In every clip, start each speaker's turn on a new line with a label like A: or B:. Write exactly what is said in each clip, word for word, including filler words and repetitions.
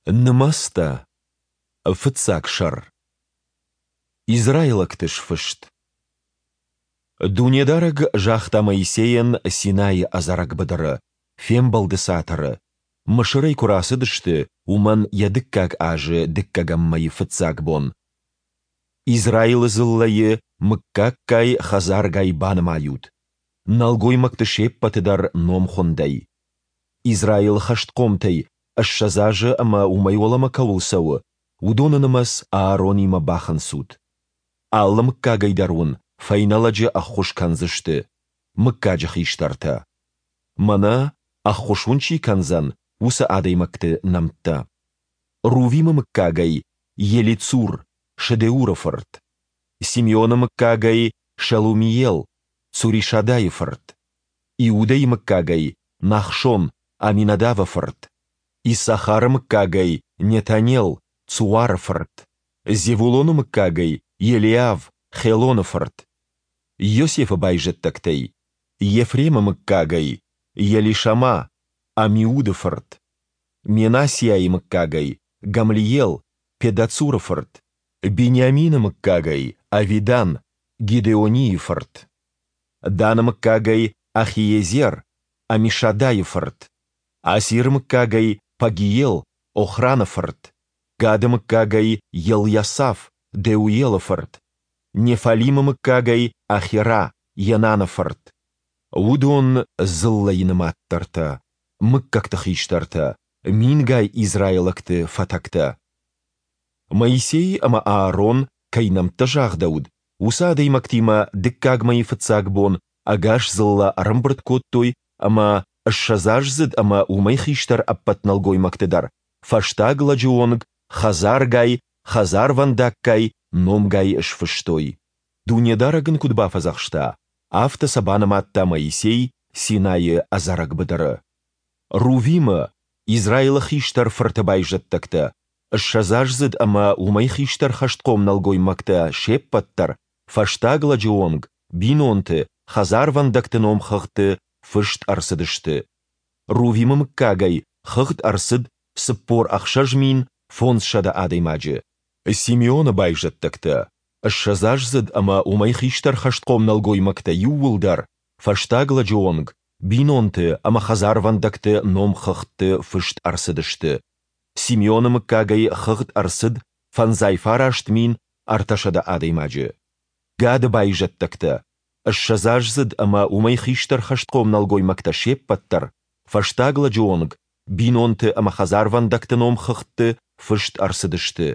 A: Нымӕцтӕ. Фыццаг сӕр. Израилӕгты сфыст. Дунедарӕг загъта Моисейӕн Синайы ӕдзӕрӕг быдыры, Фембӕлды Цатыры, Мысырӕй куы рацыдысты, уымӕн йӕ дыккаг азы дыккӕгӕм мӕйы фыццаг бон: Израилы дзыллӕйы мыггаггай, хӕдзаргай банымайут, нӕлгоймӕгты се ппӕты дӕр номхуындӕй. Израилы хӕстхъомтӕй ссӕдз азы ӕмӕ уымӕй уӕлӕмӕ кӕуыл цӕуы, уыдоны нымӕц Ааронимӕ бахынцут. Алы мыггагӕй дӕр уын фӕйнӕ лӕджы ӕххуыс кӕндзысты, мыггаджы хистӕртӕ. Мӕнӕ, ӕххуыс уын чи кӕндзӕн, уыцы адӕймӕгты нӕмттӕ: Рувимы мыггагӕй Елицур, Шедеуры фырт; Симеоны мыггагӕй Шелумиел, Цуришадайы фырт; Иудӕйы мыггагӕй Нахшон, Аминадавы фырт; Иссахары мыггагӕй Нетанел, Цуары фырт; Зевулоны мыггагӕй Елиав, Хелоны фырт; Йосефы байзӕддӕгтӕй: Ефремы мыггагӕй Елишама, Амиуды фырт; Менассиайы мыггагӕй Гамлиел, Педацуры фырт; Бениамины мыггагӕй Авидан, Гидеонийы фырт; Даны мыггагӕй Ахиезер, Амишадайы фырт; Асиры мыггагӕй Пагиел, Охраны фырт; Гады мыггагӕй Елйасаф, Деуелы фырт; Неффалимы мыггагӕй Ахира, Енаны фырт. Уыдон дзыллӕйы нымаддӕртӕ, мыггӕгты хистӕртӕ, мингай израилӕгты фӕтӕгтӕ. Моисей ӕмӕ Аарон, кӕй нӕмттӕ загъдӕуыд, уыцы адӕймӕгтимӕ дыккаг мӕйы фыццаг бон ӕгас дзыллӕ ӕрӕмбырд кодтой ӕмӕ ссӕдзаздзыд ӕмӕ уымӕй хистӕр ӕппӕт нӕлгоймӕгты дӕр фӕстаг лӕджы онг хӕдзаргай, хӕдзарвӕндаггай, номгай сфыстой. Дунедарӕг ын куыд бафӕдзӕхста, афтӕ сӕ банымадта Моисей Синайы ӕдзӕрӕг быдыры. Рувимы, Израилы хистӕр фырты байзӕддӕгтӕ, ссӕдзаздзыд ӕмӕ уымӕй хистӕр хӕстхъом нӕлгоймӕгтӕ се ппӕт дӕр, фӕстаг лӕджы онг, бинонты, хӕдзарвӕндӕгты номхыгъдты фыст ӕрцыдысты. Рувимы мыггагӕй хыгъд ӕрцыд цыппор ӕхсӕз мин фондзсӕдӕ адӕймаджы. Симеоны байзӕддӕгтӕ, ссӕдзаздзыд ӕмӕ уымӕй хистӕр хӕстхъом нӕлгоймӕгтӕ иууылдӕр, фӕстаг лӕджы онг, бинонты ӕмӕ хӕдзарвӕндӕгты номхыгъдты фыст ӕрцыдысты. Симеоны мыггагӕй хыгъд ӕрцыд фӕндзай фараст мин ӕртӕсӕдӕ адӕймаджы. Гады байзӕддӕгтӕ, ссӕдзаздзыд ӕмӕ уымӕй хистӕр хӕстхъом нӕлгоймӕгтӕ се ппӕт дӕр, фӕстаг лӕджы онг, бинонты ӕмӕ хӕдзарвӕндӕгты номхыгъдты фыст ӕрцыдысты.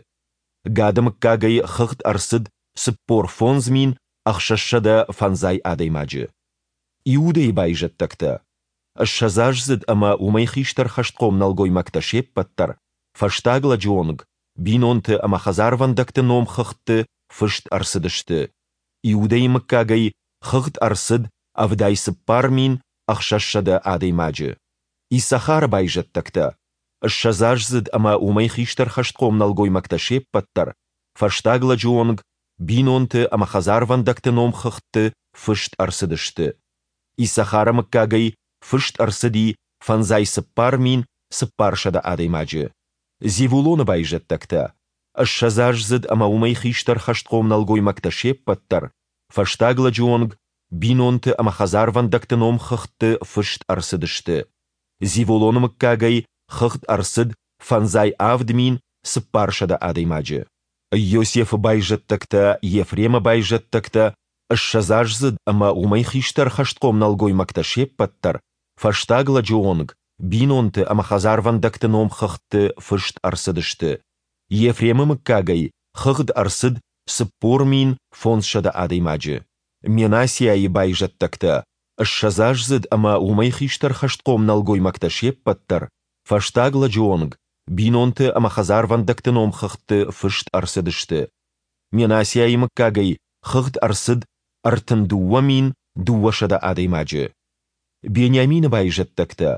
A: Гады мыггагӕй хыгъд ӕрцыд цыппор фондз мин ӕхсӕзсӕдӕ фӕндзай адӕймаджы. Иудӕйы байзӕддӕгтӕ, ссӕдзаздзыд ӕмӕ уымӕй хистӕр хӕстхъом нӕлгоймӕгтӕ се ппӕт дӕр, фӕстаг лӕджы онг, бинонты ӕмӕ хӕдзарвӕндӕгты номхыгъдты фыст ӕрцыдысты. Иудӕйы мыггагӕй хыгъд ӕрцыд ӕвдай цыппар мин ӕхсӕзсӕдӕ адӕймаджы. Иссахары байзӕддӕгтӕ, ссӕдзаздзыд ӕмӕ уымӕй хистӕр хӕстхъом нӕлгоймӕгтӕ се ппӕт дӕр, фӕстаг лӕджы онг, бинонты ӕмӕ хӕдзарвӕндӕгты номхыгъдты фыст ӕрцыдысты. Иссахары мыггагӕй фыст ӕрцыди фӕндзай цыппар мин цыппарсӕдӕ адӕймаджы. Зевулоны байзӕддӕгтӕ, ссӕдзаздзыд ӕмӕ уымӕй хистӕр хӕстхъом нӕлгоймӕгтӕ се ппӕт дӕр, фӕстаг лӕджы онг, бинонты ӕмӕ хӕдзарвӕндӕгты номхыгъдты фыст ӕрцыдысты. Зевулоны мыггагӕй хыгъд ӕрцыд фӕндзай авд мин цыппарсӕдӕ адӕймаджы. Йосефы байзӕддӕгтӕ, Ефремы байзӕддӕгтӕ, ссӕдзаздзыд ӕмӕ уымӕй хистӕр хӕстхъом нӕлгоймӕгтӕ се ппӕт дӕр, фӕстаг лӕджы онг, бинонты ӕмӕ хӕдзарвӕндӕгты номхыгъдты фыст ӕрцыдысты. Ефремы мыггагӕй хыгъд ӕрцыд цыппор мин фондзсӕдӕ адӕймаджы. Менассиайы байзӕддӕгтӕ, ссӕдзаздзыд ӕмӕ уымӕй хистӕр хӕстхъом нӕлгоймӕгтӕ се ппӕт дӕр, фӕстаг лӕджы онг, бинонты ӕмӕ хӕдзарвӕндӕгты номхыгъдты фыст ӕрцыдысты. Менассиайы мыггагӕй хыгъд ӕрцыд ӕртын дыууӕ мин дыууӕсӕдӕ адӕймаджы. Бениамины байзӕддӕгтӕ,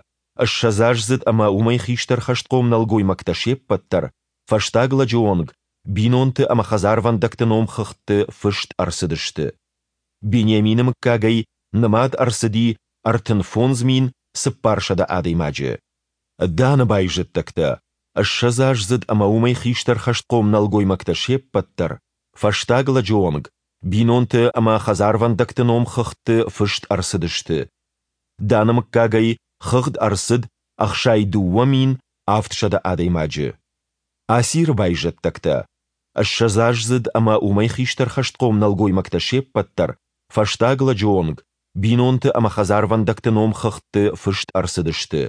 A: ссӕдзаздзыд ӕмӕ уымӕй хистӕр хӕстхъом нӕлгоймӕгтӕ се ппӕт дӕр, фӕстаг лӕджы онг, бинонты ӕмӕ хӕдзарвӕндӕгты номхыгъдты фыст ӕрцыдысты. Бениамины мыггагӕй нымад ӕрцыди ӕртын фондз мин цыппарсӕдӕ адӕймаджы. Даны байзӕддӕгтӕ, Ссӕдзаздзыд ӕмӕ уымӕй хистӕр хӕстхъом нӕлгоймӕгтӕ се ппӕт дӕр, фӕстаг лӕджы онг, бинонты ӕмӕ хӕдзарвӕндӕгты номхыгъдты фыст ӕрцыдысты. Даны мыггагӕй хыгъд ӕрцыд ӕхсай дыууӕ мин авдсӕдӕ адӕймаджы. Асиры байзӕддӕгтӕ, ссӕдзаздзыд ӕмӕ уымӕй хистӕр хӕстхъом нӕлгоймӕгтӕ се ппӕт дӕр, фӕстаг лӕджы онг, бинонты ӕмӕ хӕдзарвӕндӕгты номхыгъдты фыст ӕрцыдысты.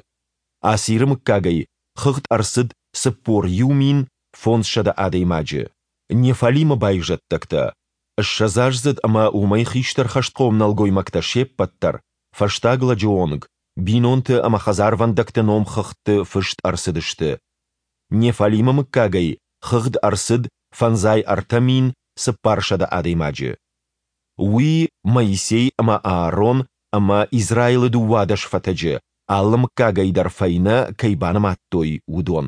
A: Асиры мыггагӕй хыгъд ӕрцыд цыппор иу мин фондзсӕдӕ адӕймаджы. Неффалимы байзӕддӕгтӕ, ссӕдзаздзыд ӕмӕ уымӕй хистӕр хӕстхъом нӕлгоймӕгтӕ се ппӕт дӕр, фӕстаг лӕджы онг, бинонты ӕмӕ хӕдзарвӕндӕгты номхыгъдты фыст ӕрцыдысты. Неффалимы мыггагӕй хыгъд ӕрцыд фӕндзай ӕртӕ мин цыппарсӕдӕ адӕймаджы. Уый Моисей ӕмӕ Аарон ӕмӕ Израилы дыууадӕс фӕтӕджы, алы мыггагӕй дӕр фӕйнӕ, кӕй банымадтой, уыдон.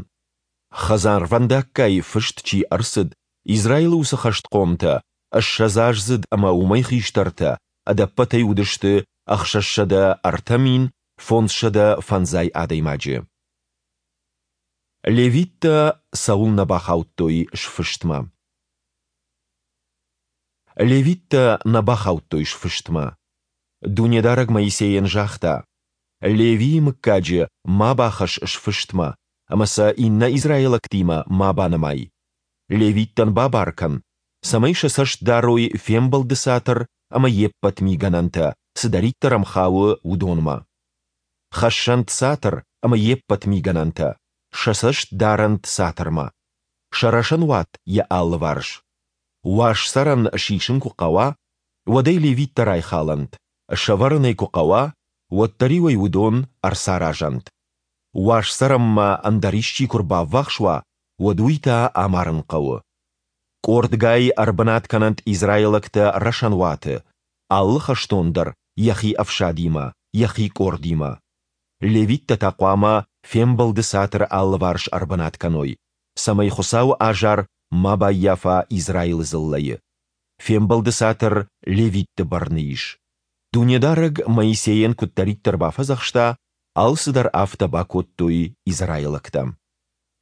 A: Хӕдзарвӕндаггай фыст чи ӕрцыд, Израилы уыцы хӕстхъомтӕ, ссӕдзаздзыд ӕмӕ уымӕй хистӕртӕ, ӕдӕппӕтӕй уыдысты ӕхсӕзсӕдӕ ӕртӕ мин фондзсӕдӕ фӕндзай адӕймаджы. Левиттӕ цӕуылнӕ бахаудтой сфыстмӕ? Левиттӕ нӕ бахаудтой сфыстмӕ. Дунедарӕг Моисейӕн загъта: Левийы мыггаджы ма бахӕсс сфыстмӕ, ӕмӕ сӕ иннӕ израилӕгтимӕ ма банымай. Левиттӕн бабар кӕн, цӕмӕй сӕ цӕст дарой Фембӕлды Цатыр ӕмӕ йе ппӕт мигӕнӕнтӕ, цыдӕриддӕр ӕм хауы, уыдонмӕ. Хӕссӕнт цатыр ӕмӕ йе ппӕт мигӕнӕнтӕ, сӕ цӕст дарӕнт цатырмӕ, сӕ рӕсӕнуат йӕ алыварс. Уаз цӕрӕн сисын куы хъӕуа, уӕд ӕй левиттӕ райхалӕнт, сӕвӕрын ӕй куы хъӕуа, уӕддӕр-иу ӕй уыдон ӕрцаразӕнт. Уаз цӕрӕнмӕ ӕндӕр исчи куы рбаввахс уа, уӕд уый та амарын хъӕуы. Къордгай ӕрбынат кӕнӕнт израилӕгтӕ рӕсӕнуаты, алы хӕстон дӕр йӕхи ӕфсадимӕ, йӕхи къордимӕ. Левиттӕ та хъуамӕ Фембӕлды Цатыры алыварс ӕрбынат кӕной, цӕмӕй Хуыцауы азар ма баййафа Израилы дзыллӕйы. Фембӕлды Цатыр левитты бӕрны ис. Дунедарӕг Моисейӕн куыддӕриддӕр бафӕдзӕхста, алцыдӕр афтӕ бакодтой израилӕгтӕ.